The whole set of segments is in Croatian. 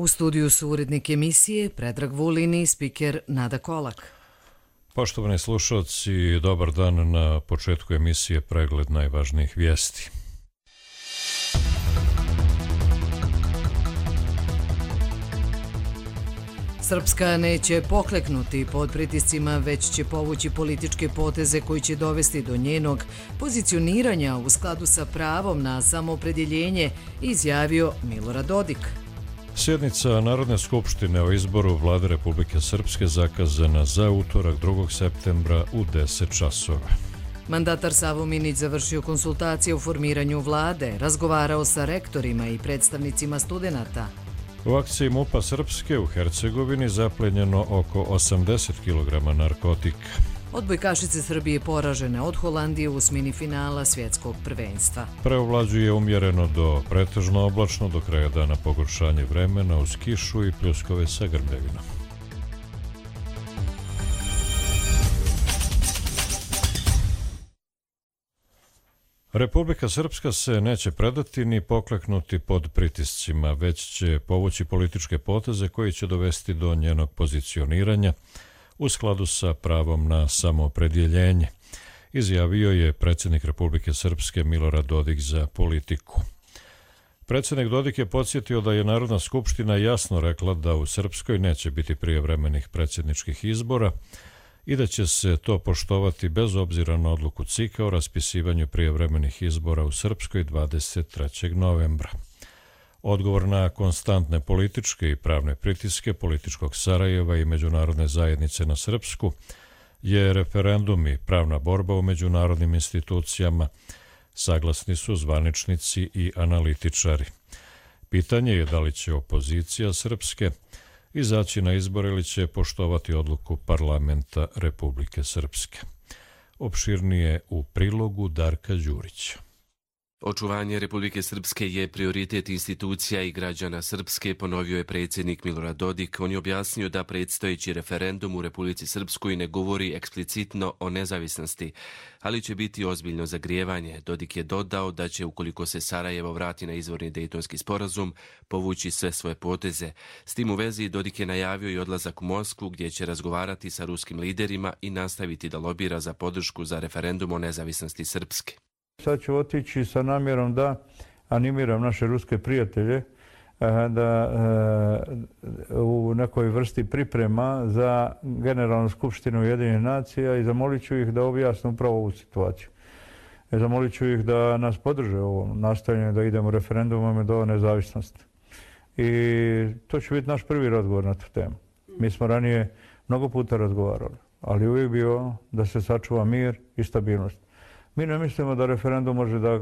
U studiju su urednik emisije Predrag Vulin i spiker Nada Kolak. Poštovani slušalci, dobar dan. Na početku emisije pregled najvažnijih vijesti. Srpska neće pokleknuti pod pritiscima, već će povući političke poteze koji će dovesti do njenog pozicioniranja u skladu sa pravom na samoopredjeljenje, izjavio Milorad Dodik. Sjednica Narodne skupštine o izboru Vlade Republike Srpske zakazana za utorak 2. septembra u 10 časova. Mandatar Savo Minić završio konsultacije o formiranju vlade, razgovarao sa rektorima i predstavnicima studenata. U akciji MUP-a Srpske u Hercegovini zaplenjeno oko 80 kg narkotika. Odbojkašice Srbije poražene od Holandije u osmini finala svjetskog prvenstva. Preovlađuje umjereno do pretežno oblačno, do kraja dana pogoršanje vremena uz kišu i pljuskove sa grmljavinom. Republika Srpska se neće predati ni pokleknuti pod pritiscima, već će povući političke poteze koji će dovesti do njenog pozicioniranja u skladu sa pravom na samoopredjeljenje, izjavio je predsjednik Republike Srpske Milorad Dodik za Politiku. Predsjednik Dodik je podsjetio da je Narodna skupština jasno rekla da u Srpskoj neće biti prijevremenih predsjedničkih izbora i da će se to poštovati bez obzira na odluku CIK-a o raspisivanju prijevremenih izbora u Srpskoj 23. novembra. Odgovor na konstantne političke i pravne pritiske političkog Sarajeva i međunarodne zajednice na Srpsku je referendum i pravna borba u međunarodnim institucijama, saglasni su zvaničnici i analitičari. Pitanje je da li će opozicija Srpske izaći na izbor ili će poštovati odluku parlamenta Republike Srpske. Opširnije u prilogu Darka Đurića. Očuvanje Republike Srpske je prioritet institucija i građana Srpske, ponovio je predsjednik Milorad Dodik. On je objasnio da predstojeći referendum u Republici Srpskoj ne govori eksplicitno o nezavisnosti, ali će biti ozbiljno zagrijevanje. Dodik je dodao da će, ukoliko se Sarajevo vrati na izvorni Dejtonski sporazum, povući sve svoje poteze. S tim u vezi Dodik je najavio i odlazak u Moskvu, gdje će razgovarati sa ruskim liderima i nastaviti da lobira za podršku za referendum o nezavisnosti Srpske. Sad ću otići sa namjerom da animiram naše ruske prijatelje da u nekoj vrsti priprema za Generalnu skupštinu Ujedinjenih nacija i zamolit ću ih da objasne upravo ovu situaciju. Zamolit ću ih da nas podrže u ovom nastojanju da idemo referendumom do nezavisnosti. I to će biti naš prvi razgovor na tu temu. Mi smo ranije mnogo puta razgovarali, ali uvijek bio da se sačuva mir i stabilnost. Mi ne mislimo da referendum može da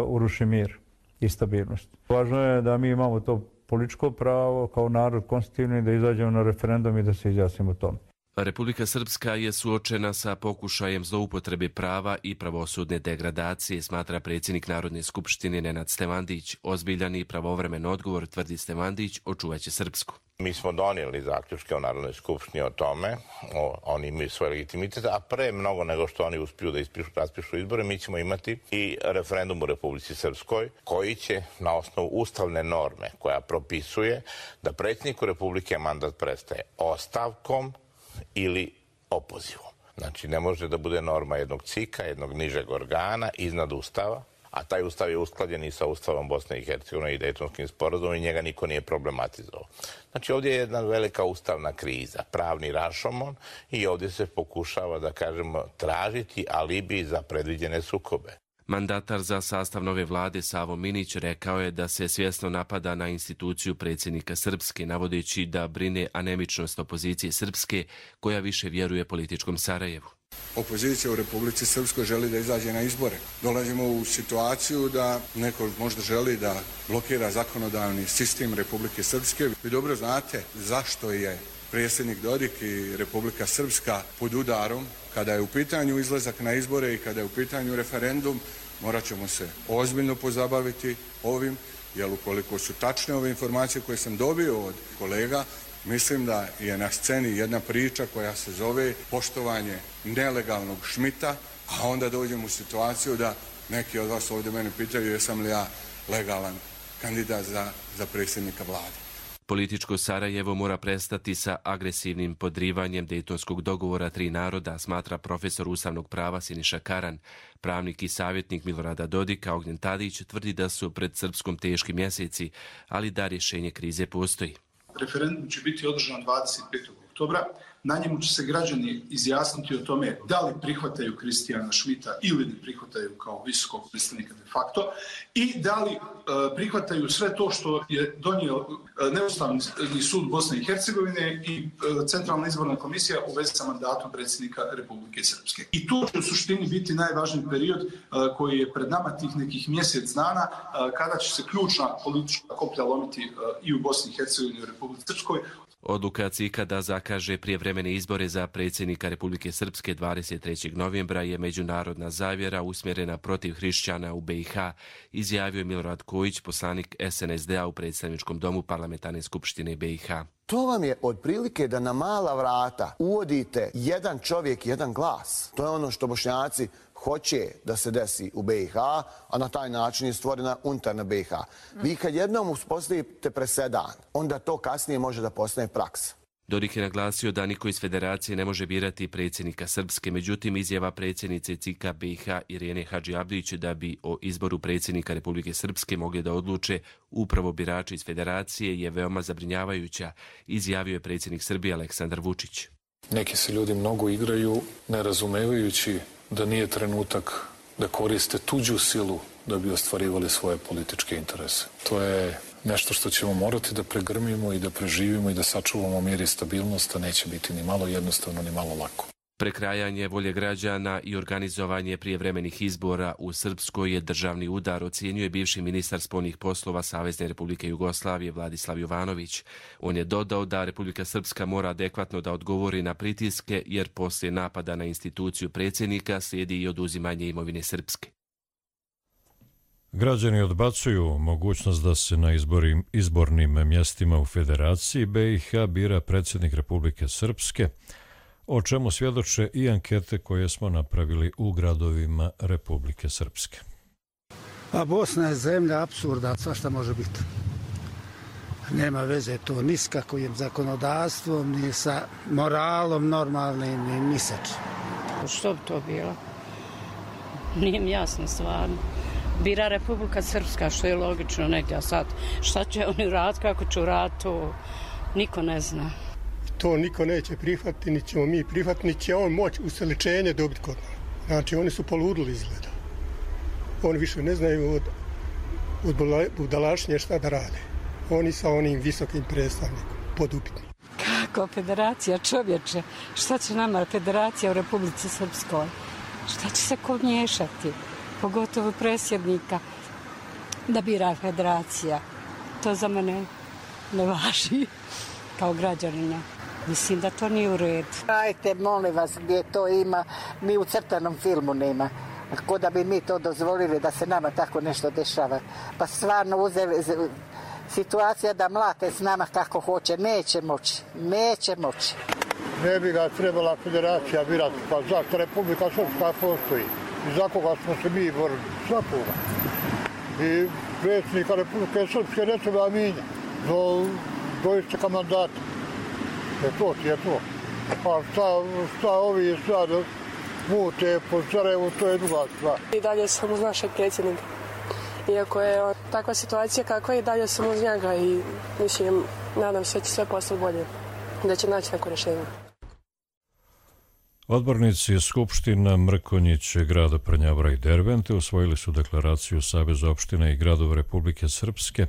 uruši mir i stabilnost. Važno je da mi imamo to političko pravo kao narod konstitutivni da izađemo na referendum i da se izjasnimo o tome. Republika Srpska je suočena sa pokušajem zloupotrebe prava i pravosudne degradacije, smatra predsjednik Narodne skupštine Nenad Stevandić. Ozbiljan i pravovremen odgovor, tvrdi Stevandić, očuvaće Srpsku. Mi smo donijeli zaključke u Narodnoj skupštini o tome, oni imaju svoj legitimitet, a pre mnogo nego što oni uspiju da raspišu izbore, mi ćemo imati i referendum u Republici Srpskoj, koji će na osnovu ustavne norme koja propisuje da predsjedniku Republike mandat prestaje ostavkom ili opozivom. Znači, ne može da bude norma jednog CIK-a, jednog nižeg organa iznad Ustava, a taj Ustav je usklađen i sa Ustavom Bosne i Hercegovine i Dejtonskim sporazumom i njega niko nije problematizovao. Znači, ovdje je jedna velika ustavna kriza, pravni rašomon i ovdje se pokušava, da kažemo, tražiti alibi za predviđene sukobe. Mandatar za sastav nove vlade Savo Minić rekao je da se svjesno napada na instituciju predsjednika Srpske, navodeći da brine anemičnost opozicije Srpske koja više vjeruje političkom Sarajevu. Opozicija u Republici Srpskoj želi da izađe na izbore. Dolazimo u situaciju da neko možda želi da blokira zakonodavni sistem Republike Srpske. Vi dobro znate zašto je predsjednik Dodik i Republika Srpska pod udarom. Kada je u pitanju izlazak na izbore i kada je u pitanju referendum, morat ćemo se ozbiljno pozabaviti ovim, jer ukoliko su tačne ove informacije koje sam dobio od kolega, mislim da je na sceni jedna priča koja se zove poštovanje nelegalnog Šmita, a onda dođemo u situaciju da neki od vas ovdje mene pitaju jesam li ja legalan kandidat za predsjednika vlade. Političko Sarajevo mora prestati sa agresivnim podrivanjem Dejtonskog dogovora tri naroda, smatra profesor ustavnog prava Siniša Karan. Pravnik i savjetnik Milorada Dodika Ognjen Tadić tvrdi da su pred Srpskom teški mjeseci, ali da rješenje krize postoji. Referendum će biti održan 25. oktobra. Na njemu će se građani izjasniti o tome da li prihvataju Kristijana Šmita ili ne prihvataju kao visokog predstavnika de facto i da li prihvataju sve to što je donio Neustavni sud Bosne i Hercegovine i Centralna izborna komisija u vezi sa mandatom predsjednika Republike Srpske. I to će u suštini biti najvažniji period koji je pred nama tih nekih mjesec dana kada će se ključna politička koplja lomiti i u Bosni i Hercegovini i u Republici Srpskoj. Odluka CIK-a da zakaže prijevremene izbore za predsjednika Republike Srpske 23. novembra je međunarodna zavjera usmjerena protiv hrišćana u BiH, izjavio je Milorad Kojić, poslanik SNSD-a u predstavničkom domu Parlamentarne skupštine BiH. To vam je otprilike da na mala vrata uvodite jedan čovjek, jedan glas. To je ono što Bošnjaci hoće da se desi u BiH, a na taj način je stvorena unutarnja BiH. Vi kad jednom uspostavite presedan, onda to kasnije može da postane praksa. Dodik je naglasio da niko iz federacije ne može birati predsjednika Srpske, međutim izjava predsjednice CIK-a BiH Irene Hadžiabdić da bi o izboru predsjednika Republike Srpske mogli da odluče upravo birači iz federacije je veoma zabrinjavajuća, izjavio je predsjednik Srbije Aleksandar Vučić. Neki se ljudi mnogo igraju, ne razumevajući da nije trenutak da koriste tuđu silu da bi ostvarivali svoje političke interese. To je nešto što ćemo morati da pregrmimo i da preživimo i da sačuvamo mir i stabilnost, a neće biti ni malo jednostavno, ni malo lako. Prekrajanje volje građana i organizovanje prijevremenih izbora u Srpskoj je državni udar, ocjenjuje bivši ministar spoljnih poslova Savezne Republike Jugoslavije Vladislav Jovanović. On je dodao da Republika Srpska mora adekvatno da odgovori na pritiske, jer poslije napada na instituciju predsjednika slijedi i oduzimanje imovine Srpske. Građani odbacuju mogućnost da se na izbornim mjestima u Federaciji BiH bira predsjednik Republike Srpske, o čemu svjedoče i ankete koje smo napravili u gradovima Republike Srpske. A Bosna je zemlja apsurda, svašta može biti. Nema veze to ni s kakvim zakonodavstvom, ni sa moralom normalnim, ni sa čim. Što bi to bilo? Nije mi jasno stvarno. Bira Republika Srpska, što je logično negdje, a sad šta će oni raditi, kako će raditi, to niko ne zna. To niko neće prihvatiti, ni ćemo mi prihvatiti, ni će on moći useličenje dobiti kod nas. Znači, oni su poludili izgleda. Oni više ne znaju od budalašnje šta da rade. Oni sa onim visokim predstavnikom, podupitni. Kako federacija, čovječe? Šta će nama federacija u Republici Srpskoj? Šta će se ko miješati? Pogotovo predsjednika da bira federacija. To za mene ne važi kao građanina. Mislim da to nije u redu. Ajte, molim vas, gdje to ima, mi u crtanom filmu nema. Ko da bi mi to dozvolili da se nama tako nešto dešava. Pa stvarno uzeli situacija da mlate s nama kako hoće. Neće moći. Neće moći. Ne bi ga trebala federacija birati. Pa zašto Republika Srpska postoji? I za koga smo se mi borili? Svakoga. I predsjednika Republike Srpske ne treba mijenjati do isteka mandata. To ti je to. A šta ovi sad mute po Sarajevu, to je druga stvar. I dalje sam uz našeg predsjednika. Iako je takva situacija kakva i dalje sam uz njega i mislim, nadam se da će sve postati bolje. Da će naći neko rješenje. Odbornici Skupština Mrkonjić, grada Prnjavora i Dervente usvojili su deklaraciju Saveza opština i gradova Republike Srpske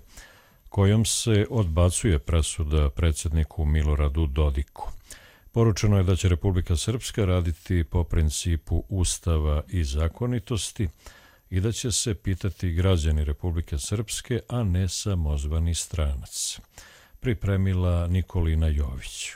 kojom se odbacuje presuda predsjedniku Miloradu Dodiku. Poručeno je da će Republika Srpska raditi po principu ustava i zakonitosti i da će se pitati građani Republike Srpske, a ne samozvani stranac. Pripremila Nikolina Jović.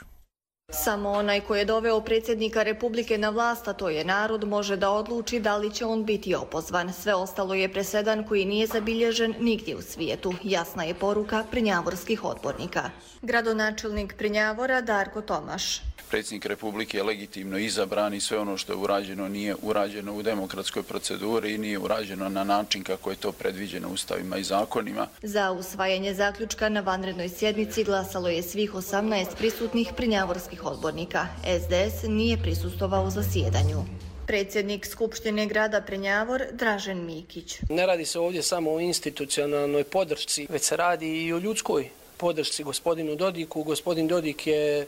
Samo onaj koji je doveo predsjednika Republike na vlast, a to je narod, može da odluči da li će on biti opozvan. Sve ostalo je presedan koji nije zabilježen nigdje u svijetu. Jasna je poruka prnjavorskih odbornika. Gradonačelnik Prnjavora Darko Tomaš. Predsjednik Republike je legitimno izabran i sve ono što je urađeno nije urađeno u demokratskoj proceduri i nije urađeno na način kako je to predviđeno ustavima i zakonima. Za usvajanje zaključka na vanrednoj sjednici glasalo je svih 18 prisutnih prnjavorskih odbornika. SDS nije prisustvovao zasjedanju. Predsjednik Skupštine grada Prnjavor Dražen Mikić. Ne radi se ovdje samo o institucionalnoj podršci, već se radi i o ljudskoj podršci gospodinu Dodiku. Gospodin Dodik je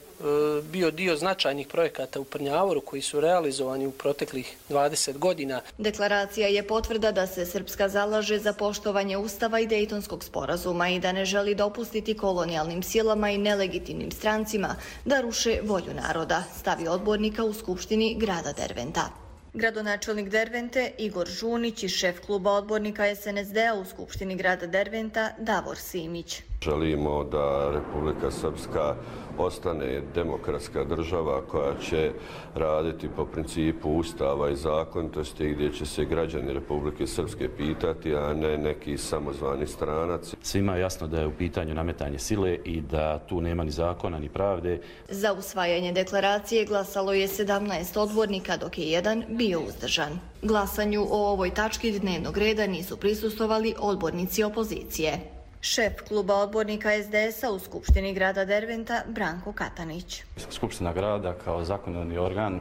bio dio značajnih projekata u Prnjavoru koji su realizovani u proteklih 20 godina. Deklaracija je potvrda da se Srpska zalaže za poštovanje Ustava i Dejtonskog sporazuma i da ne želi dopustiti kolonijalnim silama i nelegitimnim strancima da ruše volju naroda, stavi odbornika u Skupštini grada Derventa. Gradonačelnik Dervente Igor Žunić i šef kluba odbornika SNSD-a u Skupštini grada Derventa Davor Simić. Želimo da Republika Srpska ostane demokratska država koja će raditi po principu Ustava i zakonitosti gdje će se građani Republike Srpske pitati, a ne neki samozvani stranac. Svima je jasno da je u pitanju nametanje sile i da tu nema ni zakona ni pravde. Za usvajanje deklaracije glasalo je 17 odbornika, dok je jedan bio uzdržan. Glasanju o ovoj tački dnevnog reda nisu prisustvovali odbornici opozicije. Šef kluba odbornika SDS-a u Skupštini grada Derventa Branko Katanić. Skupština grada kao zakonodavni organ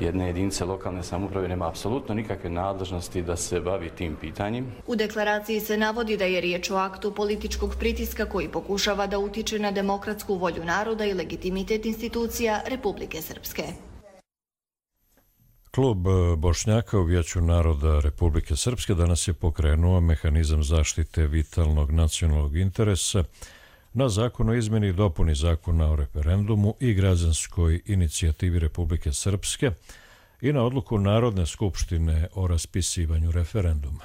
jedne jedinice lokalne samouprave nema apsolutno nikakve nadležnosti da se bavi tim pitanjem. U deklaraciji se navodi da je riječ o aktu političkog pritiska koji pokušava da utiče na demokratsku volju naroda i legitimitet institucija Republike Srpske. Klub Bošnjaka u Vijeću naroda Republike Srpske danas je pokrenuo mehanizam zaštite vitalnog nacionalnog interesa na zakon o izmjeni i dopuni zakona o referendumu i građanskoj inicijativi Republike Srpske i na odluku Narodne skupštine o raspisivanju referenduma.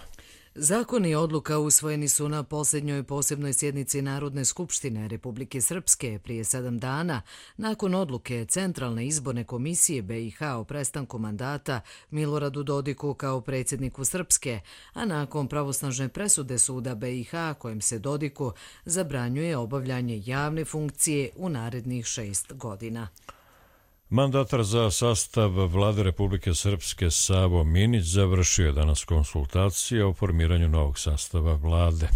Zakoni i odluka usvojeni su na posljednjoj posebnoj sjednici Narodne skupštine Republike Srpske prije 7 dana nakon odluke Centralne izborne komisije BiH o prestanku mandata Miloradu Dodiku kao predsjedniku Srpske, a nakon pravosnažne presude suda BiH kojim se Dodiku zabranjuje obavljanje javne funkcije u narednih 6 godina. Mandatar za sastav Vlade Republike Srpske Savo Minić završio je danas konsultacije o formiranju novog sastava vlade.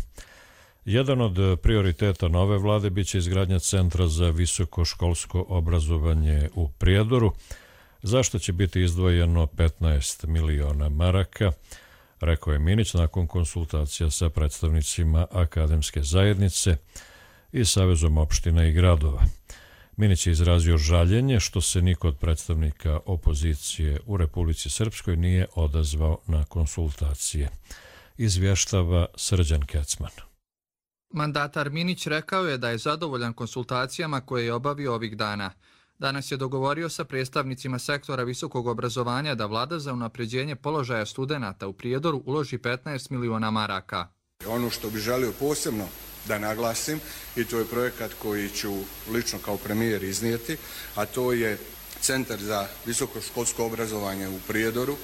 Jedan od prioriteta nove vlade biće izgradnja Centra za visokoškolsko obrazovanje u Prijedoru, za što će biti izdvojeno 15 miliona maraka, rekao je Minić nakon konsultacija sa predstavnicima akademske zajednice i Savezom opština i gradova. Minić je izrazio žaljenje što se niko od predstavnika opozicije u Republici Srpskoj nije odazvao na konsultacije. Izvještava Srđan Kecman. Mandatar Minić rekao je da je zadovoljan konsultacijama koje je obavio ovih dana. Danas je dogovorio sa predstavnicima sektora visokog obrazovanja da vlada za unapređenje položaja studenata u Prijedoru uloži 15 miliona maraka. Ono što bi želio posebno da naglasim, i to je projekat koji ću lično kao premijer iznijeti, a to je Centar za visokoškolsko obrazovanje u Prijedoru,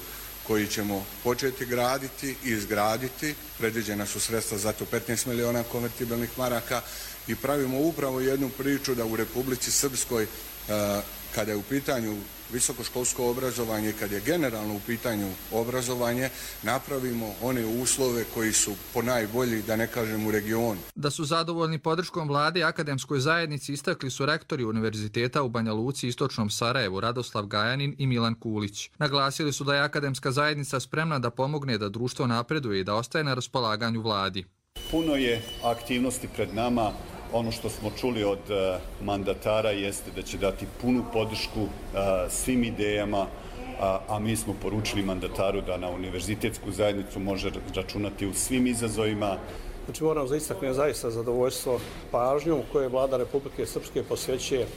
koji ćemo početi graditi i izgraditi. Predviđena su sredstva za to 15 miliona konvertibilnih maraka i pravimo upravo jednu priču da u Republici Srpskoj, kada je u pitanju visokoškolsko obrazovanje i kad je generalno u pitanju obrazovanje, napravimo one uslove koji su ponajbolji, da ne kažem, u regionu. Da su zadovoljni podrškom vlade i akademskoj zajednici istakli su rektori Univerziteta u Banja Luci i Istočnom Sarajevu Radoslav Gajanin i Milan Kulić. Naglasili su da je akademska zajednica spremna da pomogne da društvo napreduje i da ostaje na raspolaganju vladi. Puno je aktivnosti pred nama. Ono što smo čuli od mandatara jeste da će dati punu podršku svim idejama, a mi smo poručili mandataru da na univerzitetsku zajednicu može računati u svim izazovima. Znači moram zaista zadovoljstvo pažnjom koje vlada Republike Srpske posvećuje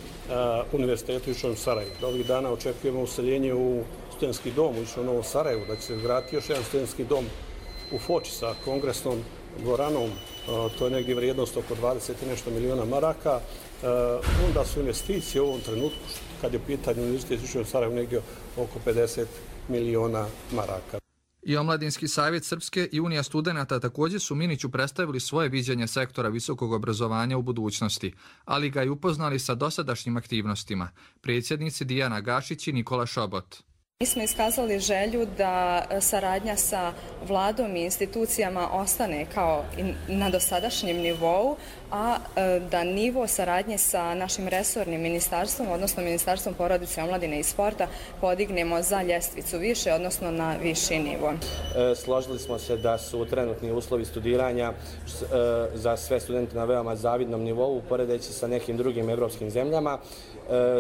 Univerzitetu u Istočnom Sarajevu. Ovih dana očekujemo useljenje u studentski dom u Istočnom Novom Sarajevu, da će se vratiti još jedan studentski dom u Foči sa kongresnom dvoranom, to je negdje vrijednost oko 20 i nešto miliona maraka, onda su investicije u ovom trenutku, kad je u pitanju Univerzitet u Sarajevu, negdje oko 50 miliona maraka. I Omladinski savjet Srpske i Unija studenata također su Miniću predstavili svoje viđenje sektora visokog obrazovanja u budućnosti, ali ga i upoznali sa dosadašnjim aktivnostima. Predsjednici Dijana Gašić i Nikola Šobot. Mi smo iskazali želju da saradnja sa vladom i institucijama ostane kao na dosadašnjem nivou, a da nivo saradnje sa našim resornim ministarstvom, odnosno Ministarstvom porodice, omladine i sporta, podignemo za ljestvicu više, odnosno na viši nivo. Složili smo se da su trenutni uslovi studiranja za sve studente na veoma zavidnom nivou, poredeći sa nekim drugim evropskim zemljama.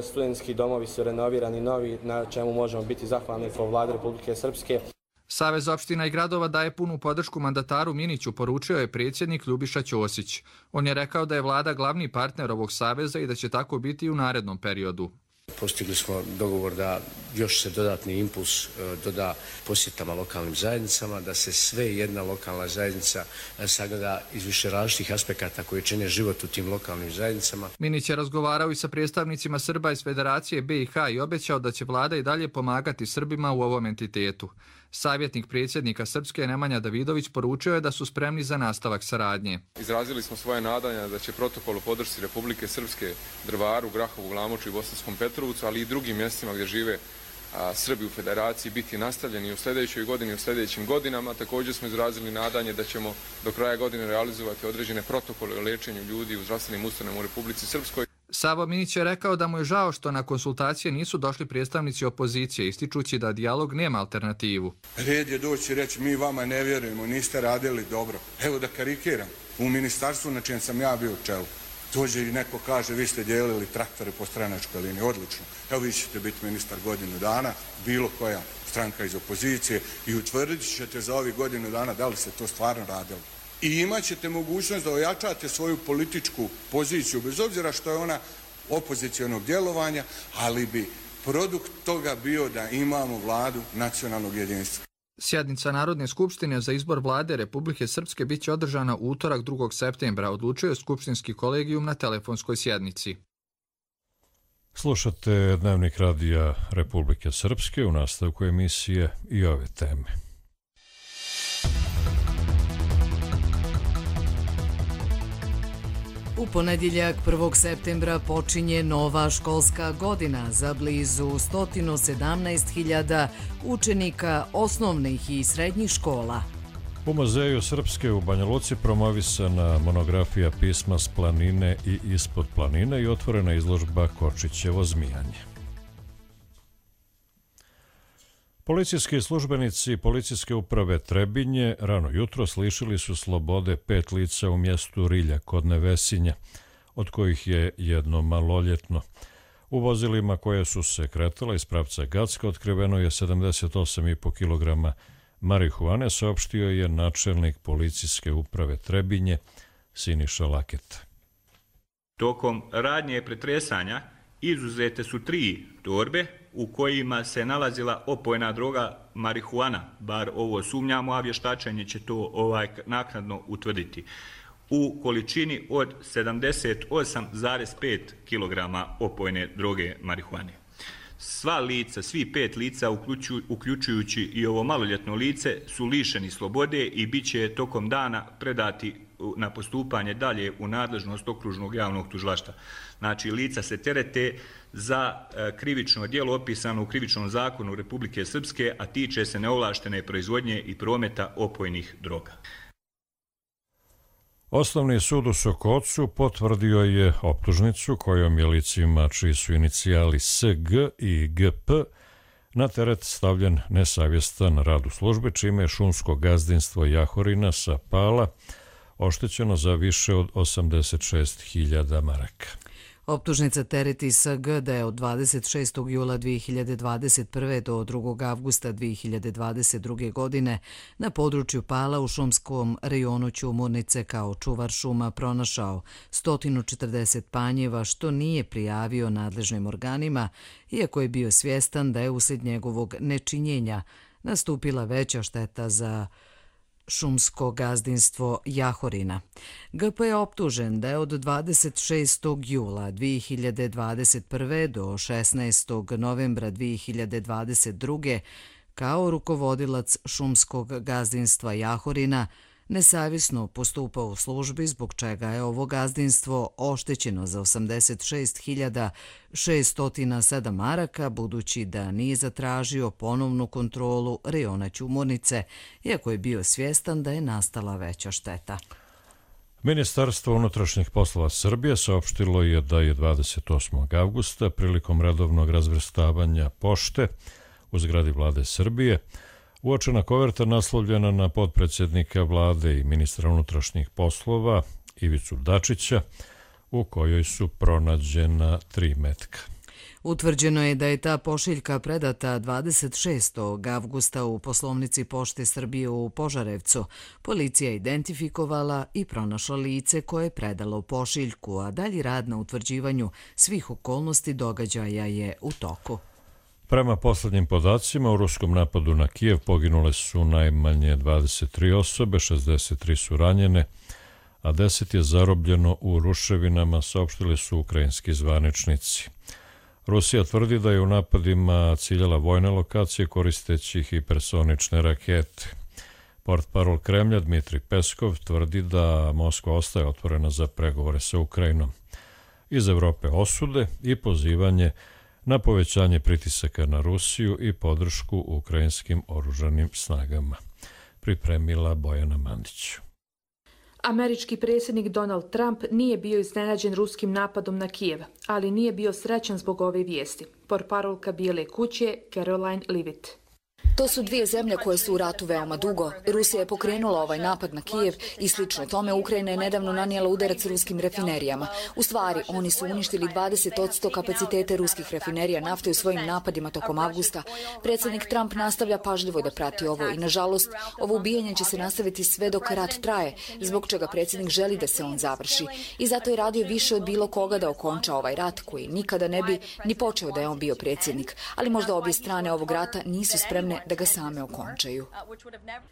Studentski domovi su renovirani novi, na čemu možemo biti zahvalni kao vlade Republike Srpske. Savez opština i gradova daje punu podršku mandataru Miniću, poručio je predsjednik Ljubiša Ćosić. On je rekao da je vlada glavni partner ovog saveza i da će tako biti i u narednom periodu. Postigli smo dogovor da još se dodatni impuls doda posjetama lokalnim zajednicama, da se sve jedna lokalna zajednica sagleda iz više različitih aspekata koji čine život u tim lokalnim zajednicama. Minić je razgovarao i sa predstavnicima Srba iz Federacije BiH i obećao da će vlada i dalje pomagati Srbima u ovom entitetu. Savjetnik predsjednika Srpske Nemanja Davidović poručio je da su spremni za nastavak saradnje. Izrazili smo svoje nadanja da će protokol o podršci Republike Srpske Drvaru, Grahovu, Glamoču i Bosanskom Petrovcu, ali i drugim mjestima gdje žive Srbi u Federaciji, biti nastavljeni u sljedećoj godini i u sljedećim godinama. Također smo izrazili nadanje da ćemo do kraja godine realizovati određene protokole o liječenju ljudi u zdravstvenim ustanovama u Republici Srpskoj. Savo Minić je rekao da mu je žao što na konsultacije nisu došli predstavnici opozicije, ističući da dijalog nema alternativu. Red je doći i reći mi vama ne vjerujemo, niste radili dobro. Evo da karikiram, u ministarstvu na čijem sam ja bio u čelu, dođe i neko kaže vi ste dijelili traktore po stranačkoj liniji, odlično. Evo vi ćete biti ministar godinu dana, bilo koja stranka iz opozicije i utvrdit ćete za ovih godinu dana da li se to stvarno radilo. I imat ćete mogućnost da ojačate svoju političku poziciju, bez obzira što je ona opozicionog djelovanja, ali bi produkt toga bio da imamo vladu nacionalnog jedinstva. Sjednica Narodne skupštine za izbor vlade Republike Srpske bit će održana u utorak 2. septembra, odlučuje skupštinski kolegijum na telefonskoj sjednici. Slušate Dnevnik radija Republike Srpske, u nastavku emisije i ove teme. U ponedjeljak 1. septembra počinje nova školska godina za blizu 117.000 učenika osnovnih i srednjih škola. U Muzeju Srpske u Banja Luci promovisana monografija pisma s planine i ispod planine i otvorena izložba Kočićevo zmijanje. Policijski službenici Policijske uprave Trebinje rano jutros lišili su slobode 5 lica u mjestu Rilja kod Nevesinja, od kojih je jedno maloljetno. U vozilima koje su se kretala iz pravca Gacka otkriveno je 78,5 kg marihuane, saopštio je načelnik Policijske uprave Trebinje Siniša Laketa. Tokom radnje pretresanja izuzete su 3 torbe u kojima se nalazila opojna droga marihuana, bar ovo sumnjamo, a vještačenje će to naknadno utvrditi, u količini od 78,5 kg opojne droge marihuane. Sva lica, svi 5 lica, uključujući i ovo maloljetno lice, su lišeni slobode i bit će tokom dana predati na postupanje dalje u nadležnost okružnog javnog tužilaštva. Znači, lica se terete za krivično djelo opisano u Krivičnom zakonu Republike Srpske, a tiče se neovlaštene proizvodnje i prometa opojnih droga. Osnovni sud u Sokocu potvrdio je optužnicu kojom je licima čiji su inicijali SG i GP na teret stavljen nesavjestan rad u službi, čime je šumsko gazdinstvo Jahorina sa Pala oštećeno za više od 86.000 maraka. Optužnica tereti SG da je od 26. jula 2021. do 2. avgusta 2022. godine na području Pala u šumskom rejonu Ćumurnice kao čuvar šuma pronašao 140 panjeva, što nije prijavio nadležnim organima, iako je bio svjestan da je uslijed njegovog nečinjenja nastupila veća šteta za šumsko gazdinstvo Jahorina. GP je optužen da je od 26. jula 2021. do 16. novembra 2022. kao rukovodilac šumskog gazdinstva Jahorina nesavjesno postupao u službi, zbog čega je ovo gazdinstvo oštećeno za 86.607 maraka, budući da nije zatražio ponovnu kontrolu rejona Ćumurnice, iako je bio svjestan da je nastala veća šteta. Ministarstvo unutrašnjih poslova Srbije saopštilo je da je 28. avgusta prilikom redovnog razvrstavanja pošte u zgradi vlade Srbije uočena koverta naslovljena na potpredsjednika vlade i ministra unutrašnjih poslova Ivicu Dačića, u kojoj su pronađena 3 metka. Utvrđeno je da je ta pošiljka predata 26. avgusta u poslovnici Pošte Srbije u Požarevcu. Policija identifikovala i pronašla lice koje je predalo pošiljku, a dalji rad na utvrđivanju svih okolnosti događaja je u toku. Prema poslednjim podacima, u ruskom napadu na Kijev poginule su najmanje 23 osobe, 63 su ranjene, a 10 je zarobljeno u ruševinama, saopštili su ukrajinski zvaničnici. Rusija tvrdi da je u napadima ciljala vojne lokacije koristeći hipersonične rakete. Portparol Kremlja Dmitrij Peskov tvrdi da Moskva ostaje otvorena za pregovore sa Ukrajinom. Iz Evrope osude i pozivanje na povećanje pritisaka na Rusiju i podršku ukrajinskim oružanim snagama. Pripremila Bojana Mandić. Američki predsjednik Donald Trump nije bio iznenađen ruskim napadom na Kijev, ali nije bio srećan zbog ove vijesti. Portparolka Bijele kuće Caroline Leavitt. To su dvije zemlje koje su u ratu veoma dugo. Rusija je pokrenula ovaj napad na Kijev i slično tome Ukrajina je nedavno nanijela udarac ruskim rafinerijama. U stvari, oni su uništili 20% kapacitete ruskih rafinerija nafte u svojim napadima tokom avgusta. Predsjednik Trump nastavlja pažljivo da prati ovo i, nažalost, ovo ubijanje će se nastaviti sve dok rat traje, zbog čega predsjednik želi da se on završi. I zato je radio više od bilo koga da okonča ovaj rat, koji nikada ne bi ni počeo da je on bio predsjednik. Ali možda obje strane ovog rata nisu spremne da ga same okončaju.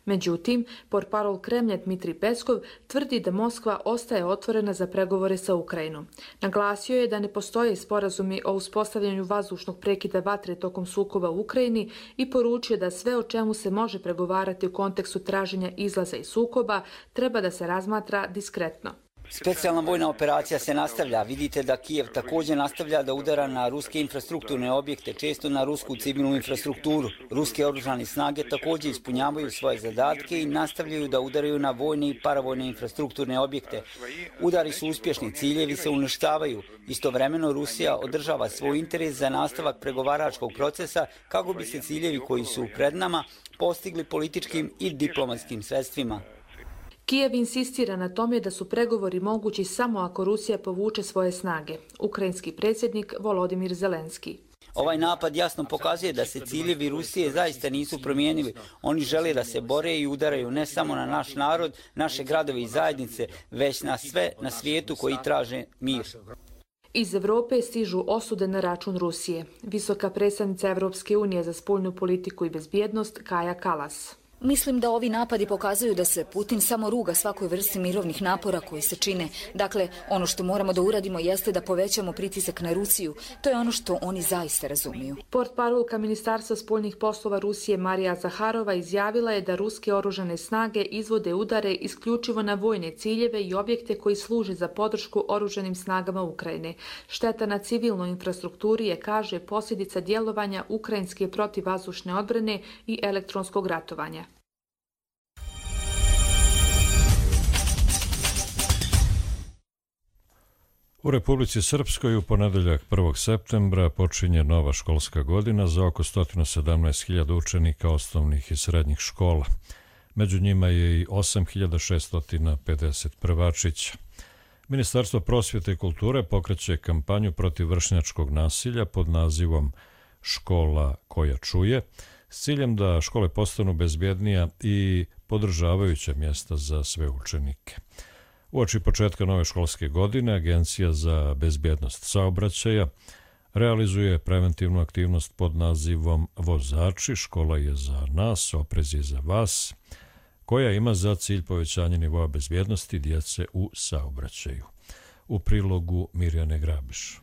Međutim, portparol Kremlja Dmitrij Peskov tvrdi da Moskva ostaje otvorena za pregovore sa Ukrajinom. Naglasio je da ne postoje sporazumi o uspostavljanju vazdušnog prekida vatre tokom sukoba u Ukrajini i poručio da sve o čemu se može pregovarati u kontekstu traženja izlaza iz sukoba treba da se razmatra diskretno. Specijalna vojna operacija se nastavlja. Vidite da Kijev također nastavlja da udara na ruske infrastrukturne objekte, često na rusku civilnu infrastrukturu. Ruske oružane snage također ispunjavaju svoje zadatke i nastavljaju da udaraju na vojne i paravojne infrastrukturne objekte. Udari su uspješni, ciljevi se uništavaju. Istovremeno Rusija održava svoj interes za nastavak pregovaračkog procesa kako bi se ciljevi koji su pred nama postigli političkim i diplomatskim sredstvima. Kijev insistira na tome da su pregovori mogući samo ako Rusija povuče svoje snage. Ukrajinski predsjednik Volodimir Zelenski. Ovaj napad jasno pokazuje da se ciljevi Rusije zaista nisu promijenili. Oni žele da se bore i udaraju ne samo na naš narod, naše gradove i zajednice, već na sve na svijetu koji traže mir. Iz Evrope stižu osude na račun Rusije. Visoka predstavnica Evropske unije za spoljnu politiku i bezbjednost Kaja Kallas. Mislim da ovi napadi pokazuju da se Putin samo ruga svakoj vrsti mirovnih napora koji se čine. Dakle, ono što moramo da uradimo jeste da povećamo pritisak na Rusiju. To je ono što oni zaista razumiju. Portparolka Ministarstva spoljnih poslova Rusije Marija Zaharova izjavila je da ruske oružane snage izvode udare isključivo na vojne ciljeve i objekte koji služe za podršku oružanim snagama Ukrajine. Šteta na civilnoj infrastrukturi je, kaže, posljedica djelovanja ukrajinske protivvazdušne odbrane i elektronskog ratovanja. U Republici Srpskoj u ponedeljak 1. septembra počinje nova školska godina za oko 117.000 učenika osnovnih i srednjih škola. Među njima je i 8.650 prvačića. Ministarstvo prosvjete i kulture pokreće kampanju protiv vršnjačkog nasilja pod nazivom Škola koja čuje, s ciljem da škole postanu bezbjednija i podržavajuća mjesta za sve učenike. Uoči početka nove školske godine, Agencija za bezbjednost saobraćaja realizuje preventivnu aktivnost pod nazivom Vozači, škola je za nas, oprez je za vas, koja ima za cilj povećanje nivoa bezbjednosti djece u saobraćaju. U prilogu Mirjane Grabiš.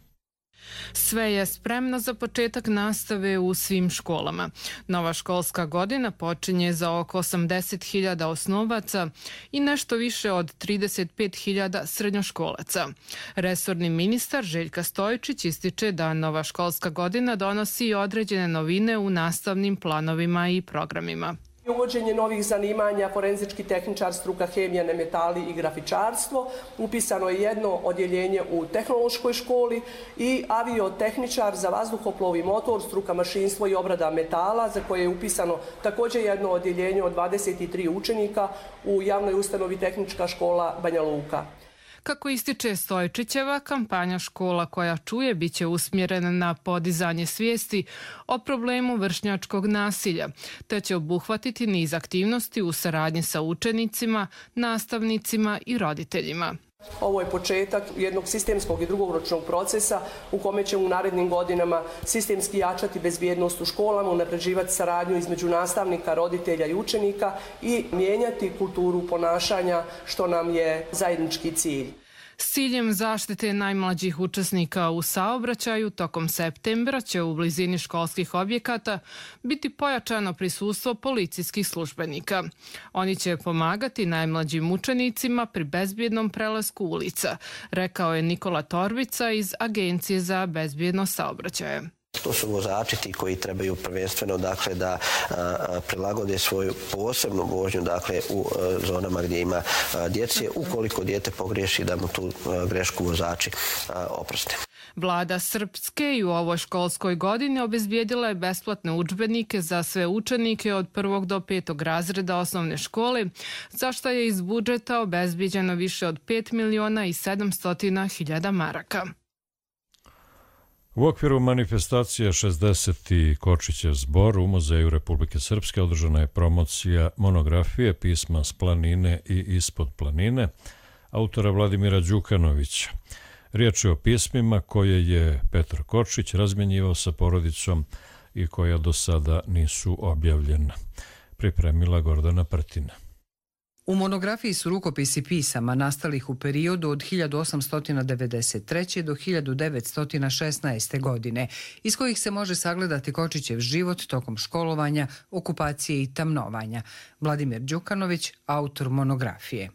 Sve je spremno za početak nastave u svim školama. Nova školska godina počinje za oko 80.000 osnovaca i nešto više od 35.000 srednjoškolaca. Resorni ministar Željka Stojičić ističe da nova školska godina donosi određene novine u nastavnim planovima i programima. Uvođenje novih zanimanja, forenzički tehničar, struka hemija, nemetali i grafičarstvo. Upisano je jedno odjeljenje u tehnološkoj školi i aviotehničar za vazduhoplov i motor, struka mašinstvo i obrada metala, za koje je upisano također jedno odjeljenje od 23 učenika u javnoj ustanovi Tehnička škola Banja Luka. Kako ističe Stojičićeva, kampanja Škola koja čuje biće usmjerena na podizanje svijesti o problemu vršnjačkog nasilja, te će obuhvatiti niz aktivnosti u saradnji sa učenicima, nastavnicima i roditeljima. Ovo je početak jednog sistemskog i dugoročnog procesa u kome ćemo u narednim godinama sistemski jačati bezbjednost u školama, unapređivati saradnju između nastavnika, roditelja i učenika i mijenjati kulturu ponašanja, što nam je zajednički cilj. S ciljem zaštite najmlađih učesnika u saobraćaju tokom septembra će u blizini školskih objekata biti pojačano prisustvo policijskih službenika. Oni će pomagati najmlađim učenicima pri bezbjednom prelasku ulica, rekao je Nikola Torbica iz Agencije za bezbjednost saobraćaja. To su vozači ti koji trebaju prvenstveno da prilagode svoju posebnu vožnju u zonama gdje ima djece, ukoliko dijete pogriješi da mu tu grešku vozači oproste. Vlada Srpske i u ovoj školskoj godini obezbijedila je besplatne udžbenike za sve učenike od 1. do 5. razreda osnovne škole, za što je iz budžeta obezbijeđeno više od 5.700.000 maraka. U okviru manifestacije 60. Kočićev zbor u Muzeju Republike Srpske održana je promocija monografije Pisma s planine i ispod planine autora Vladimira Đukanovića. Riječ je o pismima koje je Petar Kočić razmjenjivao sa porodicom i koja do sada nisu objavljena. Pripremila Gordana Prtina. U monografiji su rukopisi pisama nastalih u periodu od 1893. do 1916. godine, iz kojih se može sagledati Kočićev život tokom školovanja, okupacije i tamnovanja. Vladimir Đukanović, autor monografije.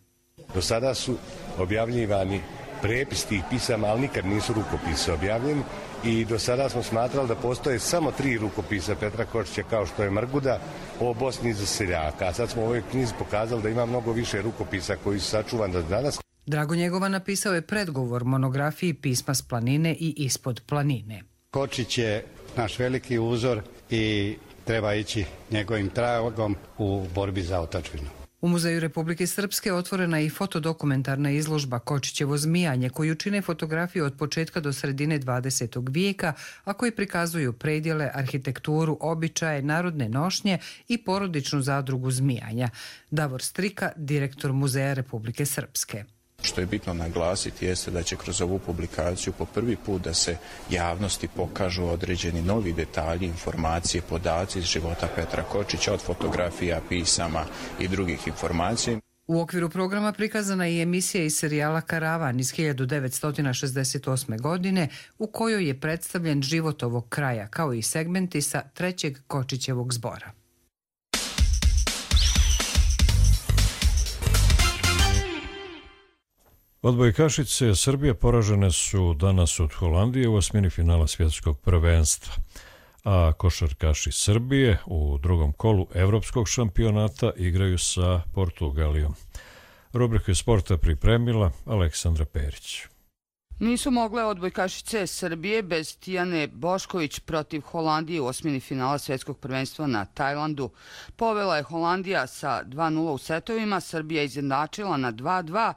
Do sada su objavljivani prepis tih pisama, ali nikad nisu rukopisi objavljeni i do sada smo smatrali da postoje samo 3 rukopisa Petra Kočića, kao što je Mrguda o Bosni za seljaka. A sad smo u ovoj knjizi pokazali da ima mnogo više rukopisa koji su sačuvani do danas. Drago Njegova napisao je predgovor monografiji Pisma s planine i ispod planine. Kočić je naš veliki uzor i treba ići njegovim tragom u borbi za otadžbinu. U Muzeju Republike Srpske otvorena je i fotodokumentarna izložba Kočićevo zmijanje, koju čine fotografije od početka do sredine 20. vijeka, a koji prikazuju predjele, arhitekturu, običaje, narodne nošnje i porodičnu zadrugu zmijanja. Davor Strika, direktor Muzeja Republike Srpske. Što je bitno naglasiti jeste da će kroz ovu publikaciju po prvi put da se javnosti pokažu određeni novi detalji, informacije, podaci iz života Petra Kočića, od fotografija, pisama i drugih informacija. U okviru programa prikazana je emisija iz serijala Karavan iz 1968. godine, u kojoj je predstavljen život ovog kraja, kao i segmenti sa 3. Kočićevog zbora. Odbojkašice Srbije poražene su danas od Holandije u osmini finala svjetskog prvenstva, a košarkaši Srbije u drugom kolu evropskog šampionata igraju sa Portugalijom. Rubriku sporta pripremila Aleksandra Perić. Nisu mogle odbojkašice Srbije bez Tijane Bošković protiv Holandije u osmini finala svjetskog prvenstva na Tajlandu. Povela je Holandija sa 2:0 u setovima, Srbija izjednačila na 2:2,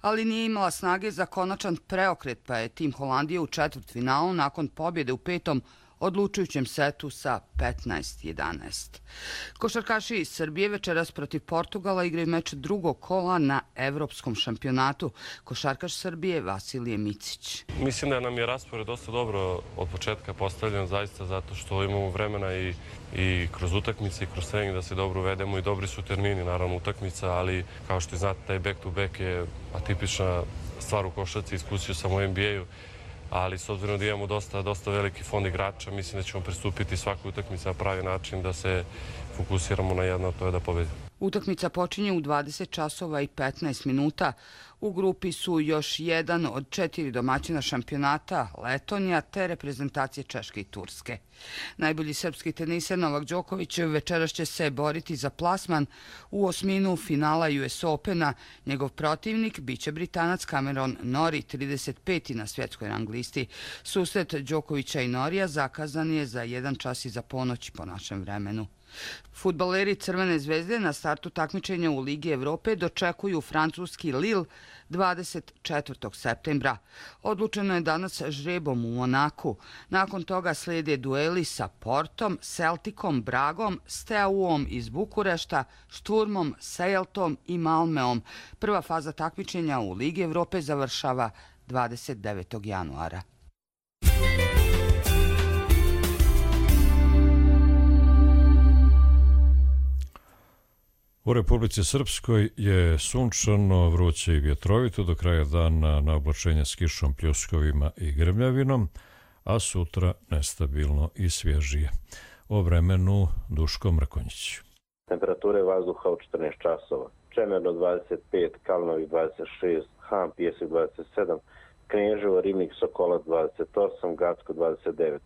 ali nije imala snage za konačan preokret, pa je tim Holandije u četvrtfinalu nakon pobjede u 5. odlučujućem setu sa 15-11. Košarkaši iz Srbije večeras protiv Portugala igraju meč drugog kola na evropskom šampionatu. Košarkaš Srbije Vasilije Micić. Mislim da nam je raspored dosta dobro od početka postavljen, zaista zato što imamo vremena i kroz utakmice i kroz trening da se dobro uvedemo i dobri su termini, naravno utakmica, ali kao što znate taj back to back je atipična stvar u košarci, iskusio sam u NBA-u, ali s obzirom da imamo dosta veliki fond igrača, mislim da ćemo pristupiti svakoj utakmici na pravi način da se fokusiramo na jedno, to je da pobedimo. Utakmica počinje u 20 časova i 15 minuta. U grupi su još jedan od 4 domaćina šampionata, Letonija, te reprezentacije Češke i Turske. Najbolji srpski teniser Novak Đoković večeras će se boriti za plasman u osminu finala US Opena. Njegov protivnik biće Britanac Cameron Norrie, 35. na svjetskoj rang listi. Susret Đokovića i Norija zakazan je za 1 čas iza ponoći po našem vremenu. Fudbaleri Crvene zvezde na startu takmičenja u Ligi Evrope dočekuju francuski Lille 24. septembra. Odlučeno je danas žrebom u Monaku. Nakon toga slijede dueli sa Portom, Celticom, Bragom, Steauom iz Bukurešta, Šturmom, Sejeltom i Malmeom. Prva faza takmičenja u Ligi Evrope završava 29. januara. U Republici Srpskoj je sunčano, vruće i vjetrovito do kraja dana, na oblačenje s kišom, pljuskovima i grmljavinom, a sutra nestabilno i svježije. O vremenu Duško Mrkonjić. Temperature vazduha u 14 časova. Čemerno 25, Kalnovi 26, Han, Pjesak 27, Kneževo, Ribnik, Sokolac 28, Gacko 29.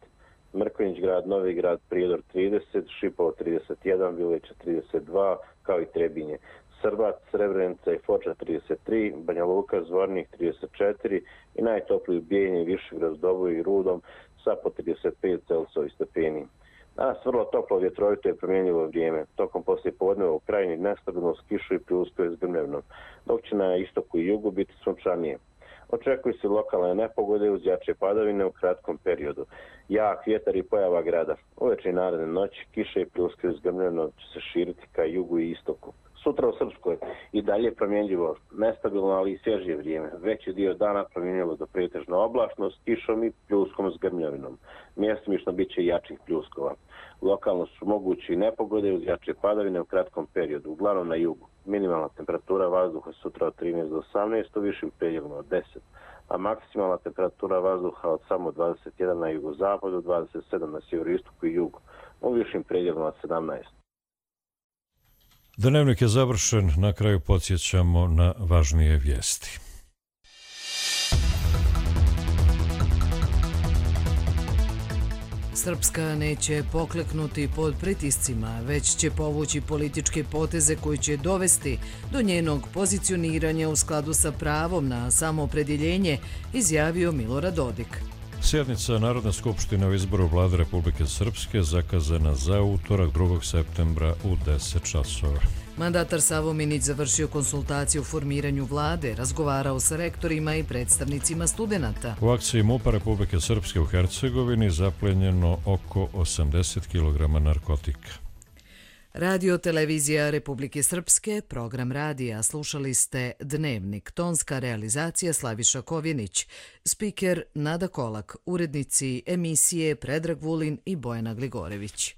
Mrkonjić grad, Novi grad, Prijedor 30, Šipovo 31, Vileća 32, kao i Trebinje. Srbac, Srebrenica i Foča 33, Banja Luka, Zvornik 34 i najtopliji u Bijeljini, Višegrad, Doboju i Rudom sa po 35 Celsijevi stepeni. Danas vrlo toplo, vjetrovito i promjenjivo vrijeme. Tokom poslijepodneva u krajini nestabilno s kišu i pljuskove s grmljavnom, dok će na istoku i jugu biti sunčanije. Očekuju se lokalne nepogode uz jače padavine u kratkom periodu. Jak vjetar i pojava grada. Uveče i naredne noći kiše i pljuske s grmljavnom će se širiti ka jugu i istoku. Sutra u Srpskoj i dalje promjenjivo, nestabilno, ali i svježije vrijeme. Veći dio dana promjenjivo do pretežno oblačno s kišom i pljuskom s grmljavinom. Mjestimično bit će jačih pljuskova. Lokalno su mogući nepogode uz jače padavine u kratkom periodu, uglavnom na jugu. Minimalna temperatura vazduha sutra od 13 do 18, u višim predjelima od 10, a maksimalna temperatura vazduha od samo 21 na jugozapadu, 27 na sjeveroistoku i jugu, u višim predjelima od 17. Dnevnik je završen, na kraju podsjećamo na važnije vijesti. Srpska neće pokleknuti pod pritiscima, već će povući političke poteze koji će dovesti do njenog pozicioniranja u skladu sa pravom na samoopredjeljenje, izjavio Milorad Dodik. Sjednica Narodne skupštine o izboru vlade Republike Srpske zakazana za utorak 2. septembra u 10 časova. Mandatar Savo Minić završio konsultaciju o formiranju vlade, razgovarao sa rektorima i predstavnicima studenata. U akciji MUP-a Republike Srpske u Hercegovini zaplenjeno oko 80 kg narkotika. Radio televizija Republike Srpske, program radija, slušali ste Dnevnik, tonska realizacija Slaviša Kovjenić, spiker Nada Kolak, urednici emisije Predrag Vulin i Bojana Gligorević.